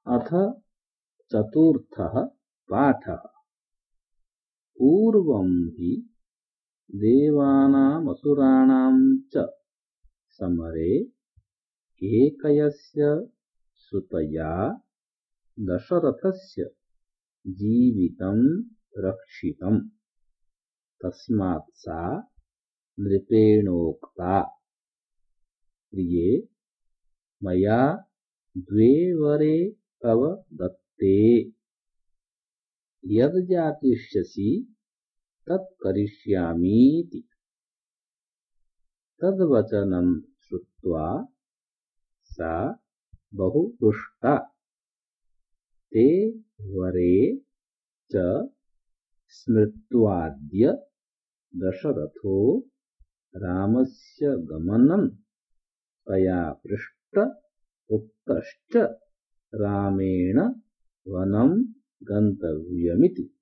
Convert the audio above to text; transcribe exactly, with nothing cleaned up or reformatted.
अथ चतुर्थः पाठः। पूर्वं हि देवानामसुराणां च समरे केकयस्य सुतया दशरथस्य जीवितं रक्षितम्। तस्मात् सा नृपेणोक्ता, प्रिये मया द्वे वरे तव दत्ते, यद्याचिष्यसि तत्करिष्यामीति। तद्वचनं श्रुत्वा सा बहु रुष्टा। ते वरे च स्मृत्वाद्य दशरथो रामस्य गमनं तया पृष्ट उक्तश्च रामेण वनं गन्तव्यमिति।